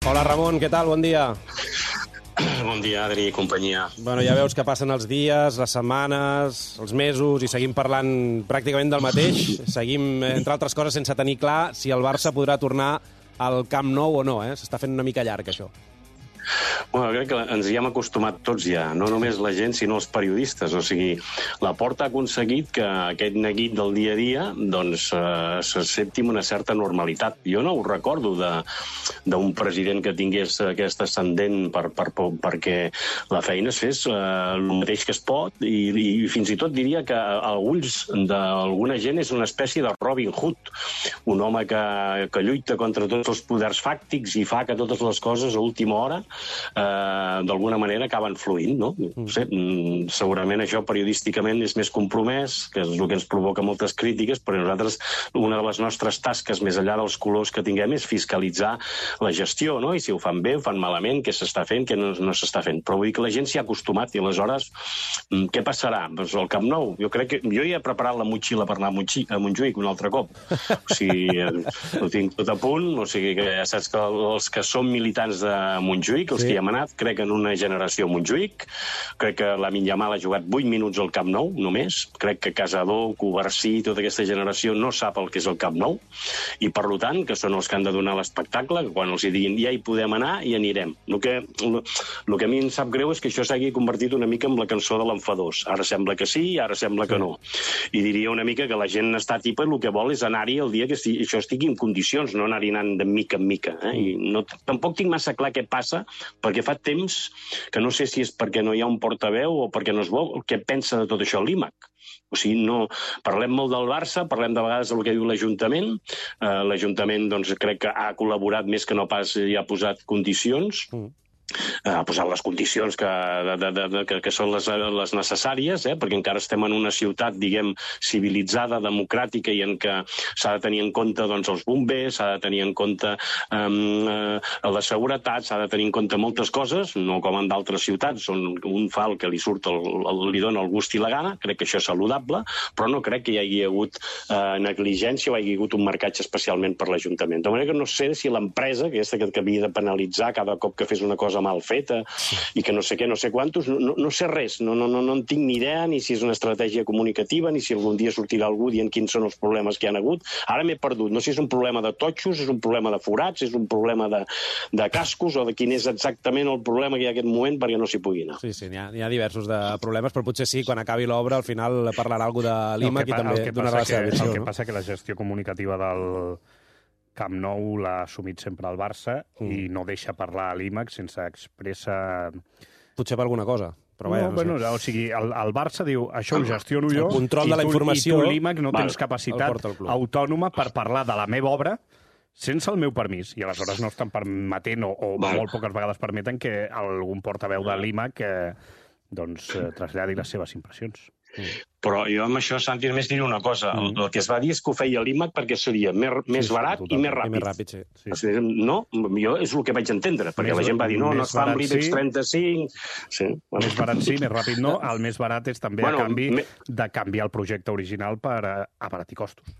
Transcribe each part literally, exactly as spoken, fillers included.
Hola, Ramon, què tal? Bon dia. Bon dia, Adri i companyia. Bueno, ja veus que passen els dies, les setmanes, els mesos, i seguim parlant pràcticament del mateix. Seguim, entre altres coses, sense tenir clar si el Barça podrà tornar al Camp Nou o no, eh? S'està fent una mica llarg, això. Bueno, crec que ens hi hem acostumat tots ja, no només la gent, sinó els periodistes. O sigui, la Porta ha aconseguit que aquest neguit del dia a dia doncs, eh, s'accepti amb una certa normalitat. Jo no ho recordo d'un president que tingués aquest ascendent per, per, per, perquè la feina es fes eh, el mateix que es pot, i, i fins i tot diria que a ulls d'alguna gent és una espècie de Robin Hood, un home que, que lluita contra tots els poders fàctics i fa que totes les coses a última hora Uh, d'alguna manera acaben fluint, no? No sé, segurament això periodísticament és més compromès, que és el que ens provoca moltes crítiques, però nosaltres, una de les nostres tasques, més enllà dels colors que tinguem, és fiscalitzar la gestió, no? I si ho fan bé, ho fan malament, què s'està fent, què no, no s'està fent. Però vull dir que la gent s'hi ha acostumat, i aleshores, què passarà? Doncs el Camp Nou. Jo crec que jo ja he preparat la motxilla per anar a, Montxí, a Montjuïc un altre cop. O sigui, ho tinc tot a punt, o sigui que ja saps que els que som militants de Montjuïc, els sí. que hi hem anat, crec en una generació a Montjuïc, crec que Lamine Yamal ha jugat vuit minuts al Camp Nou, només, crec que Casador, Covarsí, tota aquesta generació no sap el que és el Camp Nou, i per tant, que són els que han de donar l'espectacle, que quan els hi diguin ja hi podem anar, hi anirem. El que, el, el que a mi em sap greu és que això s'hagi convertit una mica en la cançó de l'enfadós. Ara sembla que sí, ara sembla que no. I diria una mica que la gent està tipa i el que vol és anar-hi el dia que estigui, això estigui en condicions, no anar-hi anant de mica en mica. Eh? I no, tampoc tinc massa clar què passa, perquè fa temps que no sé si és perquè no hi ha un portaveu o perquè no es vol, què pensa de tot això l'I M A C. O sigui, no... Parlem molt del Barça, parlem de vegades del que diu l'Ajuntament. Uh, L'Ajuntament, doncs, crec que ha col·laborat més que no pas i ha posat condicions. Mm. ha posat les condicions que, de, de, de, que, que són les, les necessàries, eh? Perquè encara estem en una ciutat, diguem, civilitzada, democràtica, i en què s'ha de tenir en compte doncs, els bombers, s'ha de tenir en compte um, uh, la seguretat, s'ha de tenir en compte moltes coses, no com en d'altres ciutats, on un fa el que li surt, el, el, li dona el gust i la gana. Crec que això és saludable, però no crec que hi hagi hagut uh, negligència o hi hagi hagut un marcatge especialment per l'Ajuntament. De manera que no sé si l'empresa, aquesta que, que havia de penalitzar cada cop que fes una cosa mal feta i que no sé què, no sé quantos, no, no, no sé res, no, no, no, no en tinc ni idea, ni si és una estratègia comunicativa, ni si algun dia sortirà algú dient quins són els problemes que hi ha hagut. Ara m'he perdut, no sé si és un problema de totxos, és un problema de forats, és un problema de, de cascos, o de quin és exactament el problema que hi ha en aquest moment perquè no s'hi pugui anar. Sí, sí, n'hi ha, n'hi ha diversos de problemes, però potser sí, quan acabi l'obra, al final parlarà algú de l'I M A C i també donarà la seva visió. El que passa que la gestió comunicativa del Camp Nou l'ha assumit sempre el Barça mm. i no deixa parlar a l'I M A C sense expressa... Potser per alguna cosa, però vaja, no, no, bueno, sé. O sigui, el, el Barça diu, això ho gestiono jo, el control de la informació, i tu l'I M A C no val, tens capacitat autònoma per parlar de la meva obra sense el meu permís, i aleshores no estan permetent, o, o molt poques vegades permeten, que algun portaveu de l'I M A C eh, doncs, eh, traslladi les seves impressions. Mm. Però jo amb això, Santi, només diré una cosa. Mm. El, el que es va dir és que ho feia l'I M A C perquè seria més, més sí, barat sí, i més ràpid. I més ràpid, sí. sí. O sigui, no, jo és el que vaig entendre, perquè més, la gent va dir, no, no es fa amb l'I B E X trenta-cinc... Sí, bueno. Més barat sí, més ràpid no. El més barat és també bueno, a canvi me... de canviar el projecte original per abaratir costos.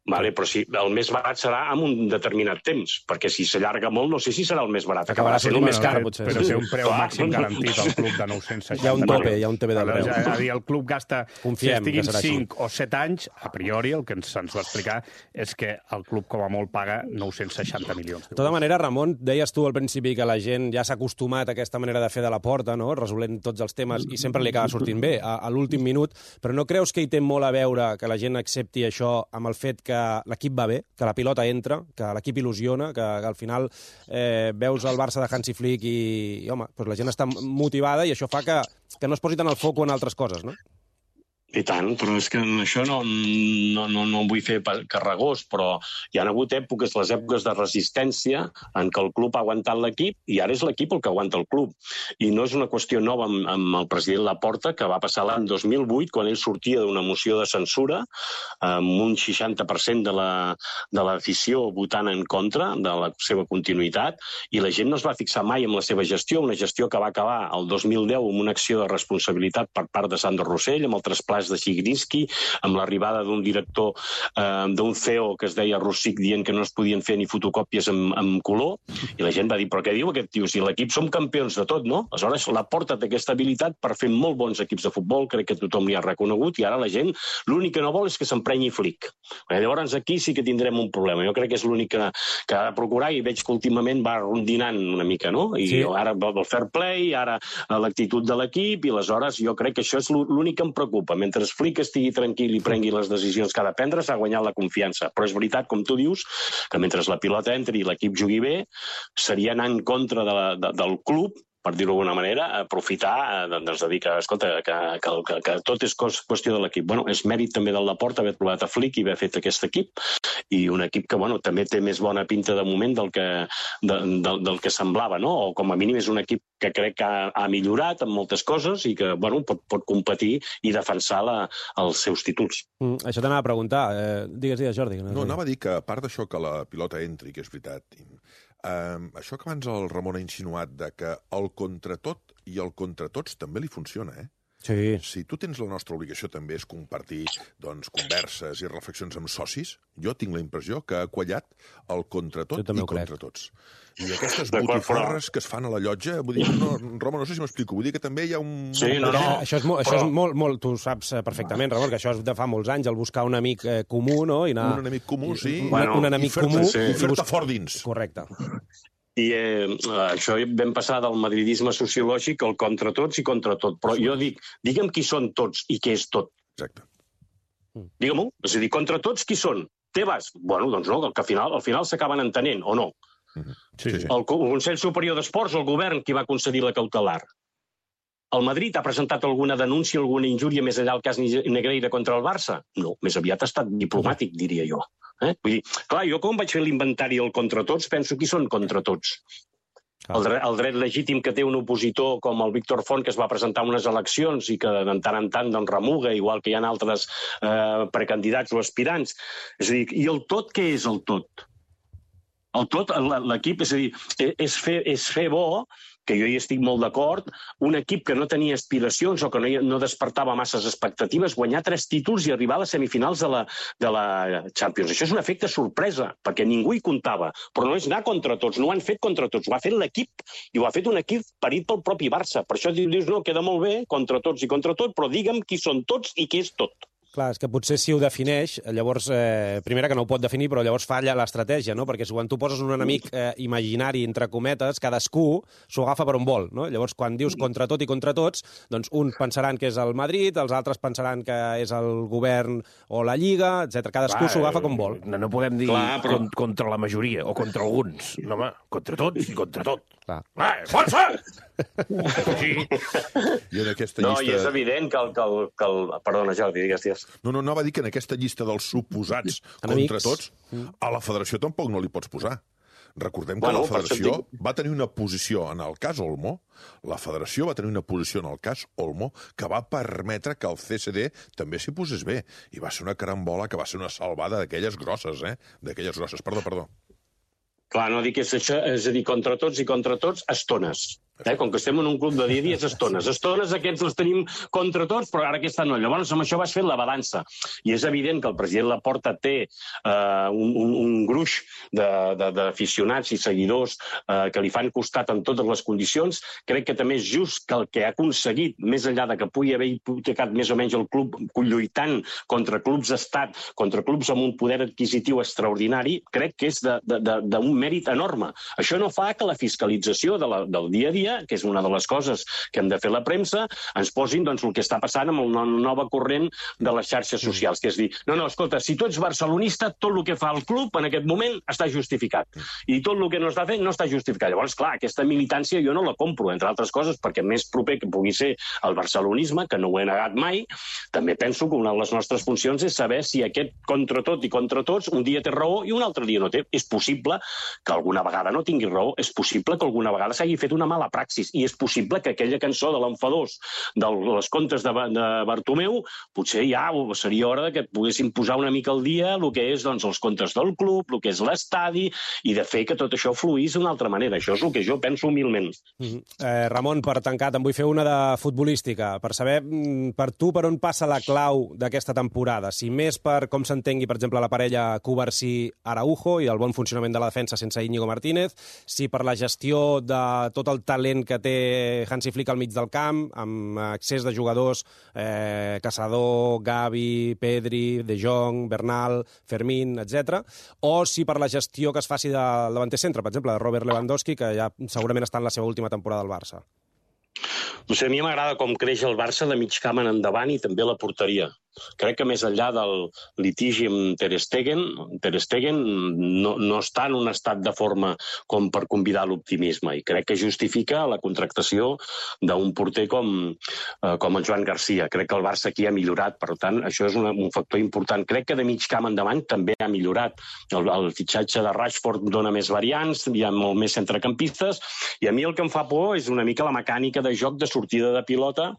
Vale, però si el més barat serà en un determinat temps, perquè si s'allarga molt no sé si serà el més barat. Acabarà sent el més car, potser. Però té un preu màxim garantit al club de nou-cents seixanta. Hi ha un tope, hi ha un tope de preu. És a dir, el club gasta, Confiem, si estiguin cinc o set anys, a priori el que ens, ens va explicar és que el club com a molt paga nou-cents seixanta milions. De tota manera, Ramon, deies tu al principi que la gent ja s'ha acostumat a aquesta manera de fer de la Porta, no? Resolent tots els temes, i sempre li acaba sortint bé a, a l'últim minut, però no creus que hi té molt a veure que la gent accepti això amb el fet que l'equip va bé, que la pilota entra, que l'equip il·lusiona, que, que al final eh, veus el Barça de Hansi Flick i, i home, doncs la gent està motivada i això fa que, que no es posi tant el foc en altres coses, no? I tant, però és que això no, no, no, no vull fer carregós, però hi ha hagut èpoques, les èpoques de resistència, en què el club ha aguantat l'equip, i ara és l'equip el que aguanta el club. I no és una qüestió nova amb, amb el president Laporta, que va passar l'any dos mil vuit, quan ell sortia d'una moció de censura, amb un seixanta per cent de la, de l'afició votant en contra de la seva continuïtat, i la gent no es va fixar mai en la seva gestió, una gestió que va acabar el dos mil deu amb una acció de responsabilitat per part de Sandro Rossell, amb el traspàs pas de Zigrinski, amb l'arribada d'un director, eh, d'un C E O que es deia Rossic, dient que no es podien fer ni fotocòpies amb, amb color, i la gent va dir, però què diu aquest tio? Si l'equip som campions de tot, no? Aleshores, la Porta té aquesta habilitat per fer molt bons equips de futbol, crec que tothom li ha reconegut, i ara la gent l'únic que no vol és que s'emprenyi Flick. Llavors aquí sí que tindrem un problema. Jo crec que és l'únic que, que ha de procurar, i veig que últimament va rondinant una mica, no? I sí. Ara el fair play, ara l'actitud de l'equip, i aleshores jo crec que això és l'únic que em preocupa. Mentre Flick estigui tranquil i prengui les decisions que ha de prendre, s'ha guanyat la confiança. Però és veritat, com tu dius, que mentre la pilota entri i l'equip jugui bé, seria anar en contra de la, de, del club, per dir-ho d'alguna manera, aprofitar, doncs, de dir que, escolta, que, que, que, que tot és qüestió de l'equip. Bueno, és mèrit també del Laporta haver trobat a Flick i haver fet aquest equip, i un equip que, bueno, també té més bona pinta de moment del que, de, del, del que semblava, no? O com a mínim és un equip que crec que ha, ha millorat en moltes coses i que, bueno, pot, pot competir i defensar la, els seus títols. Mm, això t'anava a preguntar. Eh, digues, digues, Jordi. No, no anava a dir que, a part d'això que la pilota entri, que és veritat, Uh, això que abans el Ramon ha insinuat de que el contratot i el contra tots també li funciona, eh? Sí. Si tu tens la nostra obligació també és compartir doncs, converses i reflexions amb socis, jo tinc la impressió que ha quallat el contra tot i contra tots. I aquestes botifarres que es fan a la llotja, vull dir, no, Roma, no sé si m'explico, vull dir que també hi ha un... Sí, no, no. Això és, molt, això és molt, molt, tu saps perfectament, Ramon, que això és de fa molts anys, el buscar un amic eh, comú, no? I anar... Un enemic comú, sí. Un, bueno, un enemic comú. Sí. I fer-te fort dins. Correcte. I eh, això vam passar del madridisme sociològic al contra tots i contra tot. Però jo dic, digue'm qui són tots i què és tot. Exacte. Digue-m'ho. És a dir, contra tots qui són? Tebas? Bueno, doncs no, que al final al final s'acaben entenent, o no? Mm-hmm. Sí, sí. El Consell Superior d'Esports, el govern, qui va concedir la cautelar? El Madrid ha presentat alguna denúncia, alguna injúria més enllà del cas Negreira contra el Barça? No, més aviat ha estat diplomàtic, diria jo. Eh? Vull dir, clar, jo com vaig fer l'inventari del contra tots, penso qui són contra tots. El dret, el dret legítim que té un opositor com el Víctor Font, que es va presentar a unes eleccions i que de tant en tant doncs, remuga, igual que hi ha altres eh, precandidats o aspirants. És a dir, i el tot què és el tot? El tot, l'equip, és a dir, és fer, és fer bo, que jo hi estic molt d'acord, un equip que no tenia aspiracions o que no, no despertava masses expectatives, guanyar tres títols i arribar a les semifinals de la, de la Champions. Això és un efecte sorpresa, perquè ningú hi comptava. Però no és anar contra tots, no ho han fet contra tots, ho ha fet l'equip, i ho ha fet un equip parit pel propi Barça. Per això dius, no, queda molt bé, contra tots i contra tot, però digue'm qui són tots i què és tot. Clar, és que potser si ho defineix, llavors, eh, primera que no ho pot definir, però llavors falla l'estratègia, no? Perquè quan tu poses un enemic eh, imaginari, entre cometes, cadascú s'ho agafa per on vol, no? Llavors, quan dius contra tot i contra tots, doncs uns pensaran que és el Madrid, els altres pensaran que és el govern o la Lliga, etcètera. Cadascú s'ho agafa com vol. No, no podem dir Clar, però... contra la majoria o contra alguns. No, home, contra tots i contra tot. Clar. Ah, força! Sí. I en aquesta llista... No, i és evident que el... Que el, que el... Perdona, Jordi, digues, digues. No, no, no va dir que en aquesta llista dels suposats contra tots, a la federació tampoc no li pots posar. Recordem que bueno, la federació va tenir una posició en el cas Olmo, la federació va tenir una posició en el cas Olmo que va permetre que el C S D també s'hi posés bé. I va ser una carambola que va ser una salvada d'aquelles grosses, eh? D'aquelles grosses. Perdó, perdó. Clar, no dic que és això, és a dir, contra tots i contra tots, estones. Eh? Com que estem en un club de dia a dia, és estones. Estones aquests els tenim contra tots, però ara aquesta no. Llavors, amb això vas fent la balança. I és evident que el president Laporta té eh, un, un, un gruix d'aficionats i seguidors eh, que li fan costat en totes les condicions. Crec que també és just que el que ha aconseguit, més enllà de que pugui haver hipotecat més o menys el club lluitant contra clubs d'estat, contra clubs amb un poder adquisitiu extraordinari, crec que és d'un mèrit enorme. Això no fa que la fiscalització de la, del dia a dia, que és una de les coses que hem de fer la premsa, ens posin doncs, el que està passant amb el nova corrent de les xarxes socials, que és dir, no, no, escolta, si tu ets barcelonista, tot el que fa el club en aquest moment està justificat. I tot el que no està fent no està justificat. Llavors, clar, aquesta militància jo no la compro, entre altres coses, perquè més proper que pugui ser el barcelonisme, que no ho he negat mai, també penso que una de les nostres funcions és saber si aquest contra tot i contra tots un dia té raó i un altre dia no té. És possible que alguna vegada no tingui raó, és possible que alguna vegada s'hagi fet una mala praxis. I és possible que aquella cançó de l'enfadós de les contes de, de Bartomeu potser ja seria hora que poguessin posar una mica al dia el que és doncs, els contes del club, el que és l'estadi, i de fer que tot això fluís d'una altra manera. Això és el que jo penso humilment. Mm-hmm. eh, Ramon, per tancar, te'n vull fer una de futbolística, per saber per tu per on passa la clau d'aquesta temporada. Si més per com s'entengui, per exemple, la parella Cubarsí-Araujo i el bon funcionament de la defensa sense Íñigo Martínez, si per la gestió de tot el talent que té Hansi Flick al mig del camp, amb accés de jugadors, eh, Caçador, Gavi, Pedri, De Jong, Bernal, Fermín, etcètera, o si per la gestió que es faci del davanter centre, per exemple, de Robert Lewandowski, que ja segurament està en la seva última temporada al Barça. No sé, a mi m'agrada com creix el Barça de mig camp en endavant i també la porteria. Crec que més enllà del litigi amb Ter Stegen, Ter Stegen no, no està en un estat de forma com per convidar l'optimisme, i crec que justifica la contractació d'un porter com, eh, com el Joan Garcia. Crec que el Barça aquí ha millorat, per tant, això és una, un factor important. Crec que de mig camp endavant també ha millorat. El, el fitxatge de Rashford dona més variants, hi ha molt més centrecampistes, i a mi el que em fa por és una mica la mecànica de joc de sortida de pilota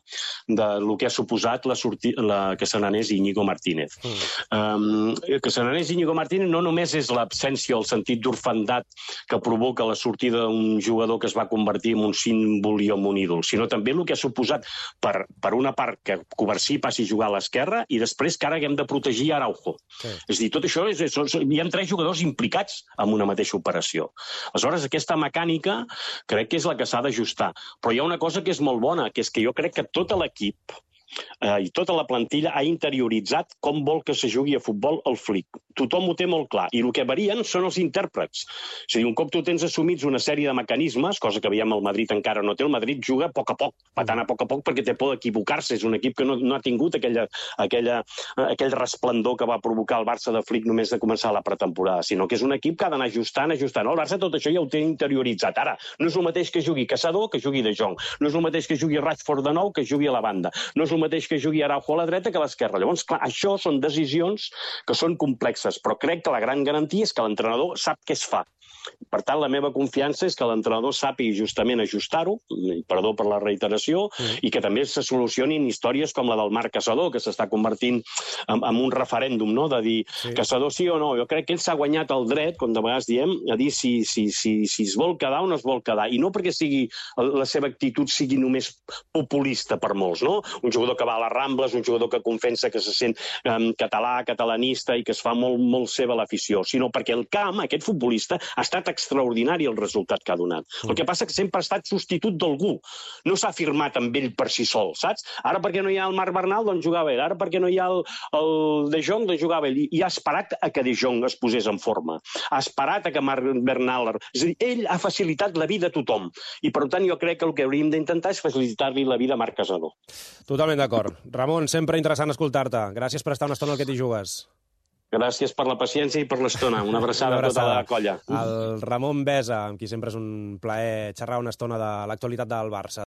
del que ha suposat la, sorti la que se n'anés Íñigo Martínez. Mm. Um, que se n'anés Íñigo Martínez no només és l'absència, el sentit d'orfandat que provoca la sortida d'un jugador que es va convertir en un símbol i en un ídol, sinó també el que ha suposat per, per una part que Cubarsí passi a jugar a l'esquerra i després que ara haguem de protegir Araujo. Sí. És a dir, tot això, és, és, hi ha tres jugadors implicats en una mateixa operació. Aleshores, aquesta mecànica crec que és la que s'ha d'ajustar. Però hi ha una cosa que és molt bona, que és que jo crec que tot l'equip eh, i tota la plantilla ha interioritzat com vol que se jugui a futbol el Flick. Tothom ho té molt clar. I el que varien són els intèrprets. És a dir, un cop tu tens assumits una sèrie de mecanismes, cosa que veiem el Madrid encara no té, el Madrid juga a poc a poc, patant a poc a poc, perquè té por d'equivocar-se. És un equip que no, no ha tingut aquella, aquella, aquell resplendor que va provocar el Barça de Flick només de començar la pretemporada, sinó que és un equip que ha d'anar ajustant, ajustant. El Barça tot això ja ho té interioritzat. Ara, no és el mateix que jugui Caçador que jugui De Jong. No és el mateix que jugui Rashford de nou que jugui a la banda. No és el mateix que jugui Araujo a la dreta que a l'esquerra. Llavors, clar, això són decisions que són complexes, però crec que la gran garantia és que l'entrenador sap què es fa. Per tant, la meva confiança és que l'entrenador sàpiga justament ajustar-ho, perdó per la reiteració, mm. i que també se solucionin històries com la del Marc Caçador, que s'està convertint en, en un referèndum, no?, de dir sí. Caçador sí o no. Jo crec que ell s'ha guanyat el dret, com de vegades diem, a dir si, si, si, si es vol quedar o no es vol quedar. I no perquè sigui, la seva actitud sigui només populista per molts, no? Un jugador que va a les Rambles, un jugador que confessa que se sent um, català, catalanista i que es fa molt, molt seva l'afició, sinó perquè el camp, aquest futbolista, ha estat extraordinari el resultat que ha donat. Mm. El que passa que sempre ha estat substitut d'algú. No s'ha firmat amb ell per si sol, saps? Ara perquè no hi ha el Marc Bernal, doncs jugava ell. Ara perquè no hi ha el, el De Jong, doncs jugava ell. I ha esperat a que De Jong es posés en forma. Ha esperat a que Marc Bernal... És a dir, ell ha facilitat la vida a tothom. I, per tant, jo crec que el que hauríem d'intentar és facilitar-li la vida a Marc Caçador. Totalment d'acord. Ramon, sempre interessant escoltar-te. Gràcies per estar una estona al que t'hi jugues. Gràcies per la paciència i per l'estona. Una abraçada, Una abraçada a tota la colla. El Ramon Besa, amb qui sempre és un plaer xerrar una estona de l'actualitat del Barça.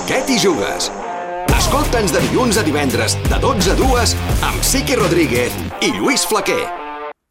Què t'hi jugues? Escolta'ns de dilluns a divendres, de dotze a dues, amb Siqui Rodríguez i Lluís Flaquer.